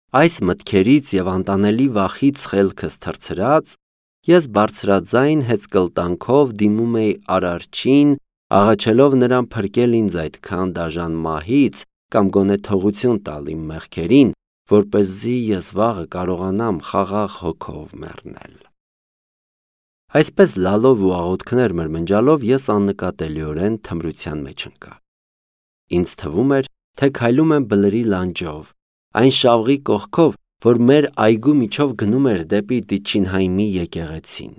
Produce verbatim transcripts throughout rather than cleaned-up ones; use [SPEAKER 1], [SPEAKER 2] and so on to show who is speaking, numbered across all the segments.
[SPEAKER 1] Այս մտքերից և անտանելի վախից խելքս թռցրած, ես բարձրաձայն հեծկլտանքով դիմում էի Արարչին, աղաչելով նրան փրկել ինձ այդքան դաժան մահից կամ գոնե թողություն տալ իմ մեղքերին, որպեսզի ես վաղը կարողանամ խաղաղ հոգով մեռնել։ Այսպես լալով ու աղոթքներ մրմնջալով ես աննկատելիորեն թմրության մեջ ընկա։ Ինձ թվում էր, թե քայլում եմ բլրի լանջով, այն շավղի կողքով, որ մեր այգու միջով գնում էր դեպի Դիչինհայմի եկեղեցին։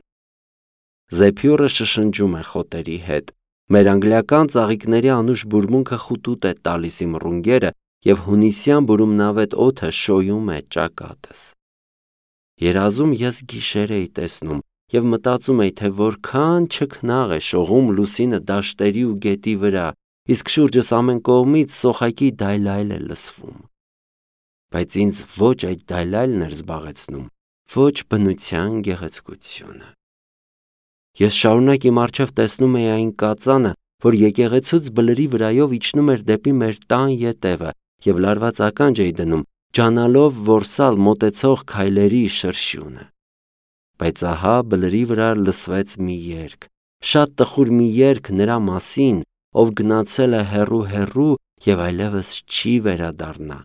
[SPEAKER 1] Զեփյուռը շշնջում է խոտերի հետ, մեր անգլիական ծաղիկների անուշ բուրմունքը խուտուտ է տալիս իմ ռունգերը և հունիսյան բուրումնավետ օդը շոյում է ճակատս։ Երազում ես գիշեր էի տեսնում և մտածում էի, թե որքան չքնաղ է շողում լուսինը դաշտերի ու գետի վրա, իսկ շուրջս ամեն կողմից սոխակի դայլայլ է լսվում։ Բայց ինձ ոչ այդ դայլայլն էր զբաղեցնում, ոչ բնության գեղեցկությունը։ Ես շարունակ իմ առջև տեսնում էի այն կածանը, որ եկեղեցուց բլրի վրայով իջնում էր դեպի մեր տան ետևը և լարված ականջ էի դնում, ջանալով որսալ մոտեցող քայլերի շրշյունը։ Բայց ահա բլրի վրա լսվեց մի երգ, շատ տխուր մի երգ նրա մասին, ով գնացել է հեռու-հեռու և այլևս չի վերադառնա,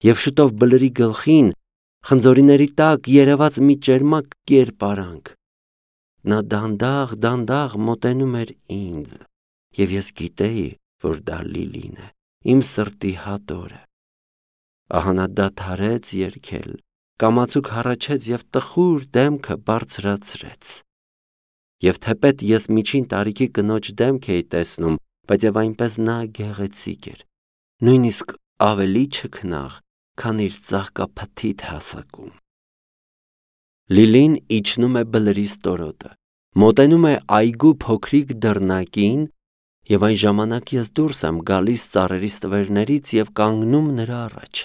[SPEAKER 1] և շուտով բլրի գլխին, խնձորիների տակ երևաց մի ճերմակ կերպարանք։ Նա դանդաղ-դանդաղ մոտենում էր ինձ, և ես գիտեի, որ դա Լիլին է, իմ սրտի հատորը։ Ահա նա դադարեց երգել, կամացուկ հառաչեց և տխուր դեմքը բարձրացրեց։ Եվ թեպետ ես միջին տարիքի կնոջ դեմք էի տեսնում, բայց և այնպես նա գեղեցիկ էր, նույնիսկ ավելի չքնաղ, քան իր ծաղկափթիթ հասակում։ Լիլին իջնում է բլրի ստորոտը, մոտենում է այգու փոքրիկ դռնակին, և այն ժամանակ ես դուրս եմ գալիս ծառերի ստվերներից և կանգնում նրա առաջ։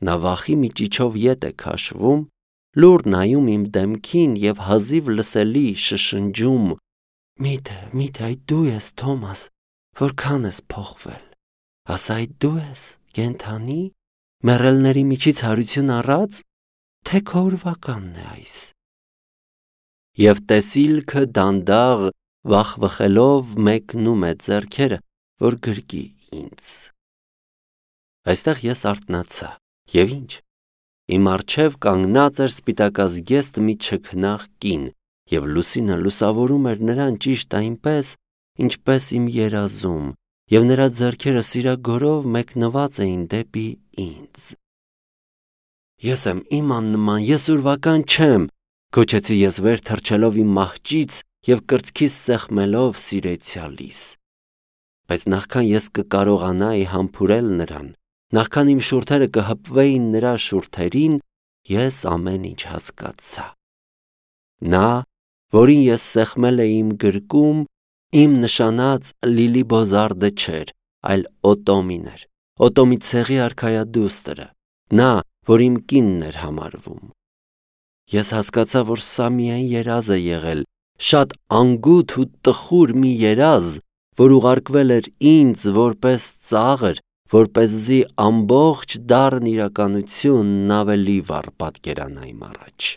[SPEAKER 1] Նա վախի միջիչով ետ է քաշվում, լուռ նայում իմ դեմքին և հազիվ լսելի շշնջում. «Միթե, միթե այդ դու ես, Թոմաս, որքան ես փոխվել, ասա այդ դու ես, կենդանի, մեռելների միջից հարություն առած, թե քո ուրվականն է այս»։ Եվ տեսիլքը դանդաղ վախվխելով մեկնում է ձեռքերը, որ գրկի ինձ։ Այստեղ ես արթնացա, և ինչ, իմ առջև կանգնած էր սպիտակազգեստ մի չքնաղ կին, և լուսինը լուսավորում էր նրան ճիշտ այնպես, ինչպես իմ երազում, և նրա ձեռքերը սիրագորով մեկնված էին դեպի ինձ։ «Ես եմ, իմ աննման, ես ուրվական չեմ», գոչեցի ես վեր թռչելով իմ մահճից և կրծքիս սեղմելով սիրեցյալիս։ Բայց նախքան ես կկարողանայի համբուրել նրան, նախքան իմ շուրթերը կհպվեին նրա շուրթերին, ես ամեն ինչ հասկացա։ Նա, որին ես սեղմել էի իմ գրկում, իմ նշանած Լիլի Բոզարդը չէր, այլ Օտոմին էր, Օտոմի ցեղի արքայադուստրը, նա, որ իմ կինն էր համարվում։ Ես հասկացա, որ սա միայն երազ է եղել, շատ անգութ ու տխուր մի երազ, որ ուղարկվել էր ինձ որպես ծաղր, որպեսզի ամբողջ դառն իրականությունն ավելի վառ պատկերանա իմ առաջ։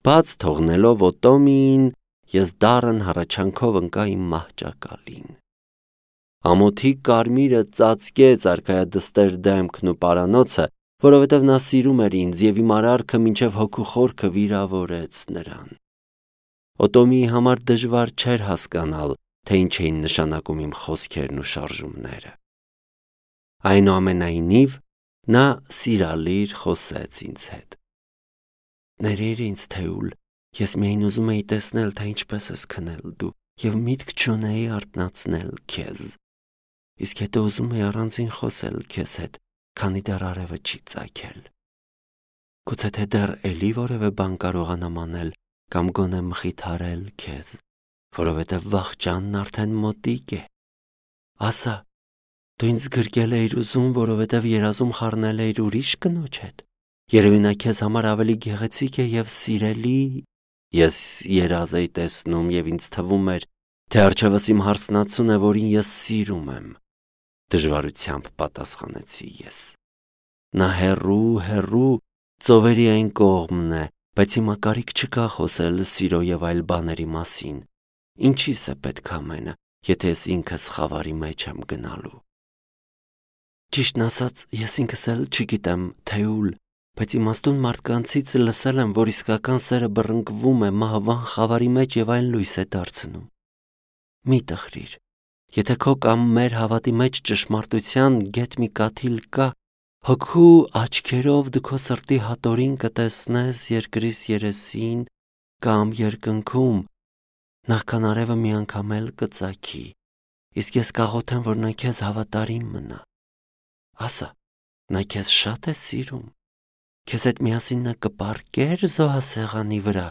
[SPEAKER 1] Բաց թողնելով Օտոմիին, ես դառն հառաչանքով ընկա իմ մահճակալին։ Ամոթի կարմիրը ծածկեց արքայադստեր դեմքն ու պարանոցը, որովհետև նա սիրում էր ինձ և իմ արարքը մինչև հոգու խորքը վիրավորեց նրան։ Օտոմիի համար դժվար չէր հասկանալ, թե ինչ էին նշանակում իմ խոսքերն ու շարժումները։ Այնուամենայնիվ, նա սիրալիր խոսեց ինձ հետ. «Ներիր ինձ, Թեուլ, ես միայն ուզում էի տեսնել, թե ինչպես ես քնել դու, և միտք չունեի արթնացնել քեզ։ Իսկ հետո ուզում էի առանձին խոսել քեզ հետ, քանի դեռ արևը չի ծագել։ Գուցե թե դեռ էլի որևէ բան կարողանամ անել կամ գոնե մխիթարել քեզ, որովհետև վախճանն արդեն մոտիկ է։ Ասա, դու ինձ գրկել էիր ուզում, որովհետև երազում խառնել էիր ուրիշ կնոջ հետ։ Երևի նա քեզ համար ավելի գեղեցիկ է և սիրելի։ Ես երազ էի տեսնում և ինձ թվում էր, թե առջևս իմ հարսնացուն է, որին ես սիրում եմ, դժվարությամբ պատասխանեցի ես։ Նա հեռու, հեռու, ծովերի այն կողմն է, բայց հիմա կարիք չկա խոսել սիրո եւ այլ բաների մասին։ Ինչի՞ս է պետք ամենը, եթե ես ինքս խավարի մեջ եմ գնալու։ Ճիշտն ասած, ես ինքս էլ չգիտեմ, թե ուլ, բայց իմաստուն մարդկանցից լսել եմ, որ իսկական սերը բռնկվում է, մահվան խավարի մեջ եւ այն լույս է դարձնում։ Մի տխրիր, եթե քո կամ մեր հավատի մեջ ճշմարտության գետ մի կաթիլ կա, հոգու աչքերով դու քո սրտի հատորին կտեսնես երկրիս երեսին կամ երկնքում, նախքան արևը մի անգամ էլ կծագի, իսկ ես կաղոթեմ, որ նա քեզ հավատարիմ մնա։ Ասա, նա քեզ շատ է սիրում, քեզ հետ միասին նա կպառկեր զոհասեղանի վրա,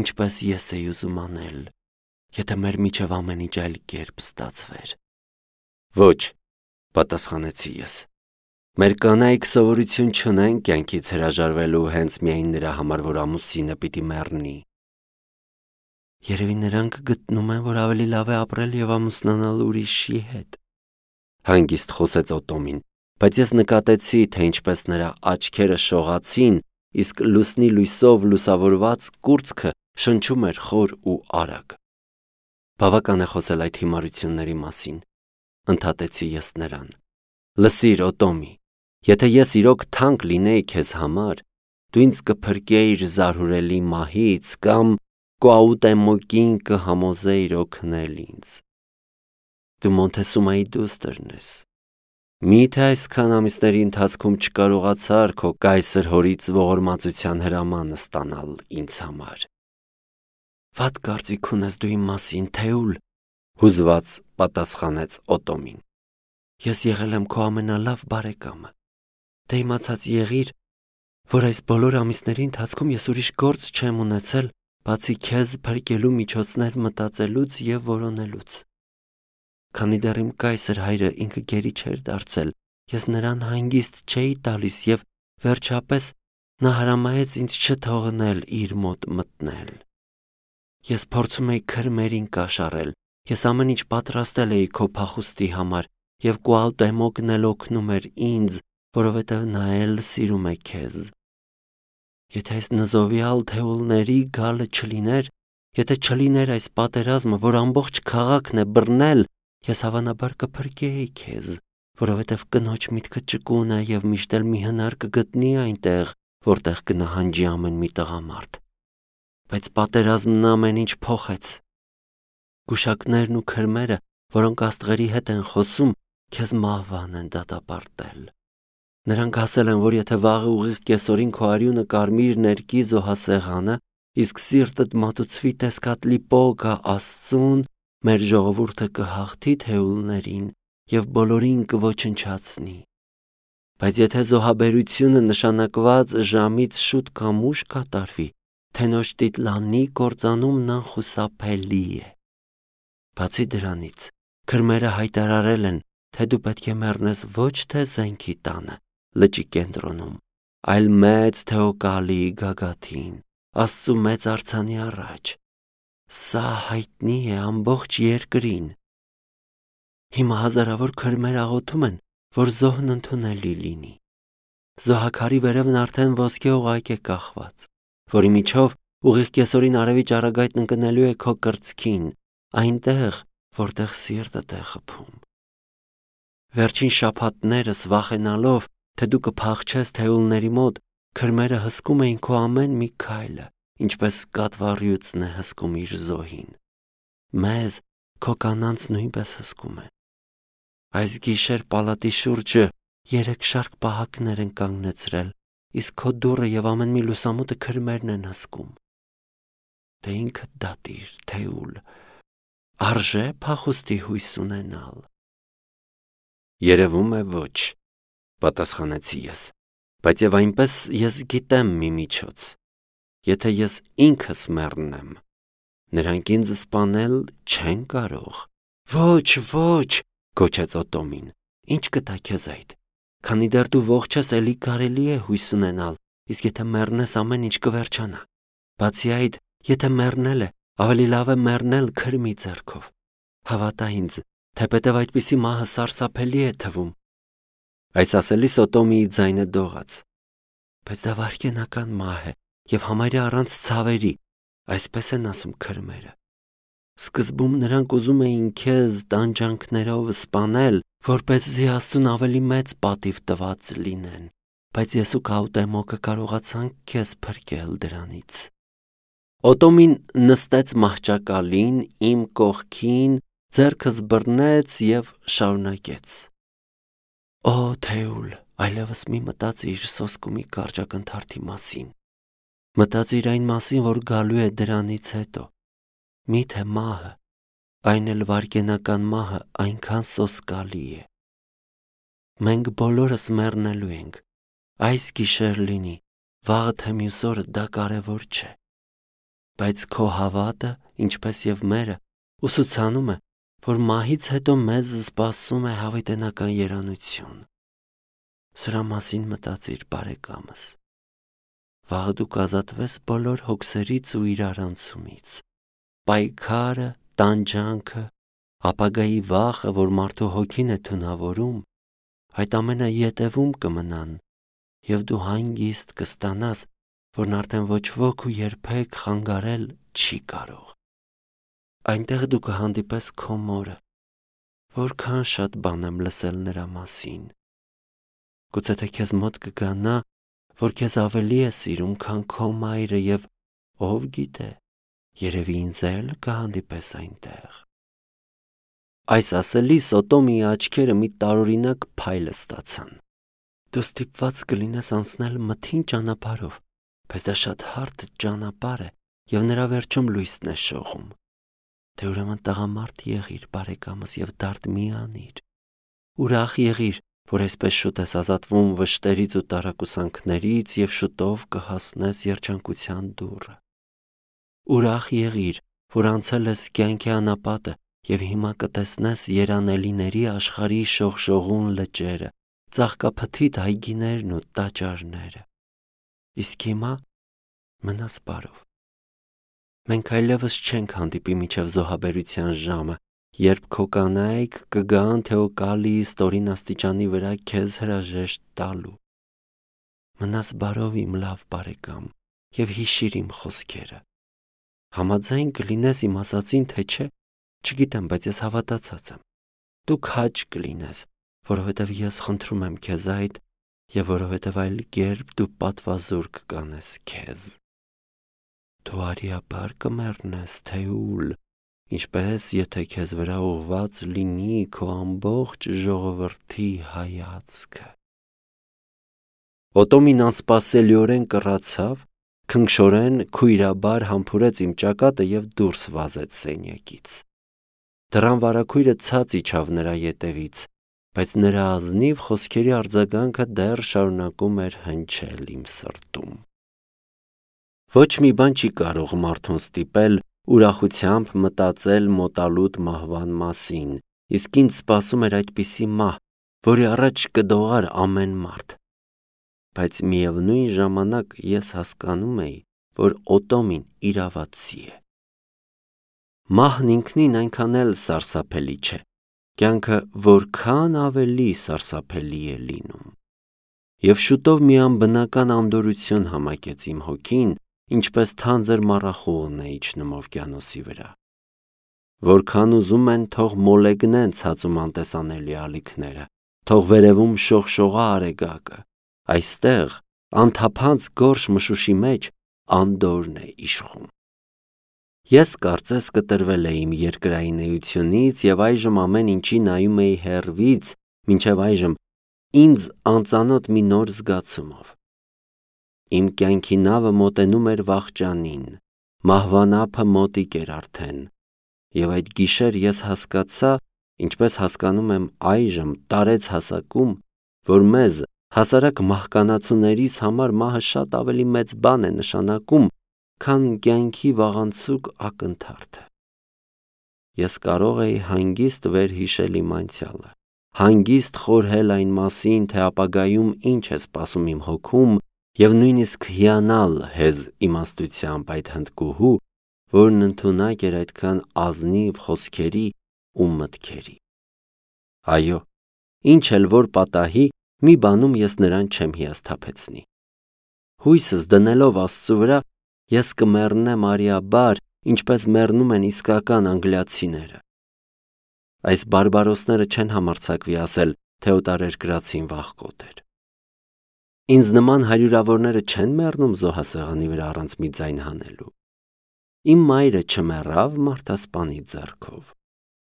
[SPEAKER 1] ինչպես ես էի ուզում անել, եթե մեր միջև ամեն ինչ այլ կերպ ստացվեր։ Ոչ, պատասխանեցի ես։ Մեր կանայք սովորություն չունեն կյանքից հրաժարվելու հենց միայն նրա համար, որ ամուսինը պիտի մեռնի։ Երևի նրանք գտնում են, որ ավելի լավ է ապրել եւ ամուսնանալ ուրիշի հետ։ Հանգիստ խոսեց Օտոմին, բայց ես նկատեցի, թե ինչպես նրա աչքերը շողացին, իսկ լուսնի լույսով լուսավորված կուրծքը շնչում էր խոր ու արագ։ Բավական է խոսել այդ հիմարությունների մասին, ընդհատեցի ես նրան։ Լսիր, Օտոմի, եթե ես իրոք թանկ լինեի քեզ համար, դու ինձ կփրկեիր զարհուրելի մահից կամ Կուաուտեմոկին կհամոզեիր օգնել ինձ։ Դու Մոնտեսումայի դուստրն ես։ Միթե այսքան ամիսների ընթացքում չկարողացար քո կայսր հորից ողորմածության հրամանը ստանալ ինձ համար։ Վատ կարծիք ունես դու իմ մասին, Թեուլ, հուզված պատասխանեց Օտոմին։ Ես եղել եմ քո ամենալավ բարեկամը։ Դե իմացած եղիր, որ այս բոլոր ամիսների ընթացքում ես ուրիշ գործ չեմ ունեցել, բացի քեզ փրկելու միջոցներ մտածելուց եւ որոնելուց։ Քանի դեռ իմ կայսր հայրը ինքը գերի չէր դարձել, ես նրան հանգիստ չէի տալիս եւ վերջապես նա հրամայեց ինձ չթողնել իր մոտ մտնել։ Ես փորձում էի քրմերին կաշառել, ես ամեն ինչ պատրաստել էի քո փախուստի համար եւ Կուաուտեմոկն էլ օգնում էր ինձ, որովհետեւ նա էլ սիրում է քեզ։ Եթե այս նզովյալ թեուլների գալը չլիներ, եթե չլիներ այս պատերազմը, որ ամբողջ քաղաքն է բռնել, ես հավանաբար կփրկեի քեզ, որովհետև կնոջ միտքը ճկուն է եւ միշտ էլ մի հնար կգտնի այնտեղ, որտեղ կնահանջի ամեն մի տղամարդ։ Բայց պատերազմն ամեն ինչ փոխեց։ Գուշակներն ու քրմերը, որոնք աստղերի հետ են խոսում, քեզ մահվան են դատապարտել։ Նրանք ասել են, որ եթե վաղը ուղիղ կեսօրին քո արյունը կարմիր ներկի զոհասեղանը, իսկ սիրտդ մատուցվի տեսքատլի պոգա Աստծուն, մեր ժողովուրդը կհաղթի թեուլներին եւ բոլորին կոչնչացնի։ Բայց եթե զոհաբերությունը նշանակված ժամից շուտ կամ ուշ կատարվի, թենոջ տիտլանի կործանումն անխուսափելի է։ Բացի դրանից, քրմերը հայտարարել են, թե դու պետք է մեռնես ոչ թե զենքի տանը, լճի կենտրոնում, այլ մեծ թեոկալի գագաթին, Աստծու մեծ արձանի առաջ։ Սա հայտնի է ամբողջ երկրին։ Հիմա հազարավոր քրմեր աղոթում են, որ զոհն ընդունելի լինի։ Զոհաքարի վերևն արդեն ոսկե օղակ է կախված, որի միջով ուղիղ կեսօրին արևի ճառագայթն ընկնելու է քո կրծքին, այնտեղ, որտեղ սիրտդ է խփում։ Վերջին շաբաթներս վախենալով, թե դու կփախչես թեուլների մոտ, քրմերը հսկում էին քո ամեն մի քայլը, ինչպես կատվառյուծն է հսկում իր զոհին։ Մեզ քո կանանց նույնպես հսկում են։ Այս գիշեր պալատի շուրջը երեք շարք պահակներ են կանգնեցրել, իսկ քո դուռը եւ ամեն մի լուսամուտը քրմերն են հսկում։ Դե ինքդ դատիր, Թեուլ, արժե փախուստի հույս ունենալ։ Երևում է ոչ, պատասխանեցի ես, բայց եւ այնպես ես գիտեմ մի միջոց։ Եթե ես ինքս մեռնեմ, նրանք ինձ սպանել չեն կարող։ Ոչ, ոչ, գոչեց Օտոմին, ինչ կտա քեզ այդ։ Քանի դեռ դու ողջ ես, էլի կարելի է հույս ունենալ, իսկ եթե մեռնես, ամեն ինչ կվերջանա։ Բացի այդ, եթե մեռնել է, ավելի լավ է մեռնել քրմի ձեռքով։ Հավատա ինձ, թեպետև այդպիսի մահը սարսափելի է թվում։ Այս ասելիս Օտոմիի ձայնը դողաց. Բայց դա վայրկենական մահ է եւ համարյա առանց ցավերի, այսպես են ասում քրմերը։ Սկզբում նրանք ուզում էին քեզ տանջանքներով սպանել, որպեսզի Աստծուն ավելի մեծ պատիվ տված լինեն, բայց ես ու Կաուտեմոկը կարողացանք քեզ փրկել դրանից։ Օտոմին նստեց մահճակալին իմ կողքին, ձեռքս բռնեց եւ շարունակեց. Օ Թեուլ, այլևս մի մտածիր սոսկումի կարճակնթարթի մասին։ Մտածիր այն մասին, որ գալու է դրանից հետո։ Միթե մահը, այն էլ վայրկենական մահը այնքան սոսկալի է։ Մենք բոլորս մեռնելու ենք։ Այս գիշեր լինի, վաղը թե մյուս օրը դա կարևոր չէ։ Բայց քո հավատը, ինչպես եւ մերը, ուսուցանում է, որ մահից հետո մեզ սպասում է հավիտենական երանություն։ Սրա մասին մտածիր, բարեկամս։ Վաղը դու կազատվես բոլոր հոգսերից ու իրարանցումից։ Պայքարը, տանջանքը, ապագայի վախը, որ մարդու հոգին է թունավորում, այդ ամենը ետևում կմնան, եւ դու հանգիստ կստանաս, որն արդեն ոչ ոք ու երբեք խանգարել չի կարող։ Այնտեղ դու կհանդիպես քո մորը, որքան շատ բան եմ լսել նրա մասին։ Գուցե թե քեզ մոտ կգա նա, որ քեզ ավելի է սիրում, քան քո մայրը, եւ ով գիտե, երևի ինձ էլ կհանդիպես այնտեղ։ Այս ասելիս Օտոմիի աչքերը մի տարօրինակ փայլ ստացան։ Դու ստիպված կլինես անցնել մթին ճանապարհով, բայց դա շատ հարթ ճանապարհ է եւ նրա վերջում լույսն է շողում։ Թե ուրեմն տղամարդ եղիր, բարեկամս, եւ դարդ մի անիր։ Ուրախ եղիր, որ այսպես շուտ ես ազատվում վշտերից ու տարակուսանքներից եւ շուտով կհասնես երջանկության դուռը։ Ուրախ եղիր, որ անցել ես կյանքի անապատը եւ հիմա կտեսնես երանելիների աշխարհի շողշողուն լճերը, ծաղկափթիթ այգիներն ու տաճարները։ Իսկ հիմա մնաս բարով։ Մենք այլևս չենք հանդիպի մինչև զոհաբերության ժամը, երբ քո կանայք կգան Թեոկալիի ստորին աստիճանի վրա քեզ հրաժեշտ տալու։ Մնաս բարով իմ լավ բարեկամ եւ հիշիր իմ խոսքերը։ Համաձայն կլինես իմ ասածին, թե չէ, չգիտեմ, բայց ես հավատացած եմ։ Դու քաջ կլինես, որովհետև ես խնդրում եմ քեզ այդ, եւ որովհետև այլ կերպ դու պատվազոր կկանես քեզ։ Դու արիաբար կմեռնես, Թեուլ, ինչպես եթե քեզ վրա ուղված լինի քո ամբողջ ժողովրդի հայացքը։ Օտոմին անսպասելիորեն կռացավ, քնքշորեն քույրաբար համբուրեց իմ ճակատը եւ դուրս վազեց սենյակից։ Դռան վարագույրը ցած իջավ նրա ետևից, բայց նրա ազնիվ խոսքերի արձագանքը դեռ շարունակում էր հնչել իմ սրտում։ Ոչ մի բան չի կարող մարդուն ստիպել ուրախությամբ մտածել մոտալուտ մահվան մասին, իսկ ինձ սպասում էր այդպիսի մահ, որի առաջ կդողար ամեն մարդ։ Բայց միևնույն ժամանակ ես հասկանում էի, որ Օտոմին իրավացի է։ Մահն ինքնին այնքան էլ սարսափելի չէ, կյանքը որքան ավելի սարսափելի է լինում։ Եվ շուտով մի անբնական անդորրություն համակեց իմ հոգին, ինչպես թանձր մառախուղն է իջնում օվկիանոսի վրա։ Որքան ուզում են, թող մոլեգնեն ցածում անտեսանելի ալիքները, թող վերևում շողշողա արեգակը, այստեղ անթափանց գորշ մշուշի մեջ անդորրն է իշխում։ Ես կարծես կտրվել էի իմ երկրային էությունից եւ այժմ ամեն ինչի նայում էի հեռվից, մինչեւ այժմ ինձ անծանոթ մի նոր զգացումով։ Իմ կյանքի նավը մոտենում էր վախճանին, մահվան ափը մոտիկ էր արդեն, եւ այդ գիշեր ես հասկացա, ինչպես հասկանում եմ այժմ տարեց հասակում, որ մեզ հասարակ մահկանացուներիս համար մահը շատ ավելի մեծ բան է նշանակում, քան կյանքի վաղանցուկ ակնթարթը։ Ես կարող էի հանգիստ վերհիշել իմ անցյալը, հանգիստ խորհել այն մասին, թե ապագայում ինչ է սպասում իմ հոգում, եւ նույնիսկ հիանալ հեզ իմաստությամբ այդ հնդկուհու, որն ընդունակ էր այդքան ազնիվ խոսքերի ու մտքերի։ Այո, ինչ էլ որ պատահի, մի բանում ես նրան չեմ հիասթափեցնի։ Հույսս դնելով Աստծու վրա, ես կմեռնեմ արիաբար, ինչպես մեռնում են իսկական անգլիացիները։ Այս բարբարոսները չեն համարձակվի ասել, թե օտարերկրացին վախկոտ էր։ Ինձ նման հարյուրավորները չեն մեռնում զոհասեղանի վրա առանց մի ձայն հանելու։ Իմ մայրը չմեռավ մարդասպանի ձեռքով։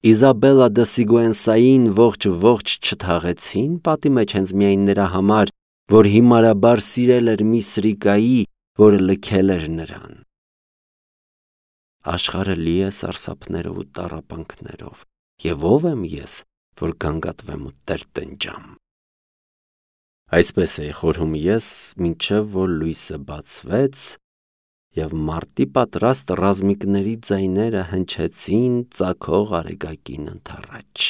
[SPEAKER 1] Իզաբելա դե Սիգուենսային ողջ-ողջ չթաղեցին պատի մեջ հենց միայն նրա համար, որ հիմարաբար սիրել էր մի սրիկայի, որը լքել էր նրան։ Աշխարհը լի է սարսափներով ու տառապանքներով, եւ ով եմ ես, որ գանգատվեմ ու տրտնջամ։ Այսպես էի խորհում ես, մինչև որ լույսը բացվեց, եւ մարտի պատրաստ ռազմիկների ձայները հնչեցին ծագող արեգակին ընդառաջ։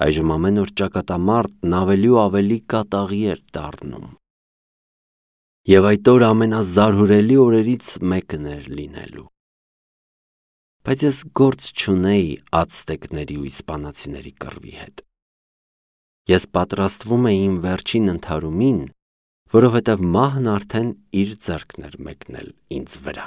[SPEAKER 1] Այժմ ամեն օր ճակատամարտն ավելի ու ավելի կատաղի էր դառնում։ Եվ այդ օրը ամենազարհուրելի օրերից մեկն էր լինելու։ Բայց ես գործ չունեի ացտեկների ու իսպանացիների կռվի հետ։ Ես պատրաստվում էի իմ վերջին ընդհարումին, որովհետև մահն արդեն իր ձեռքն էր մեկնել ինձ վրա։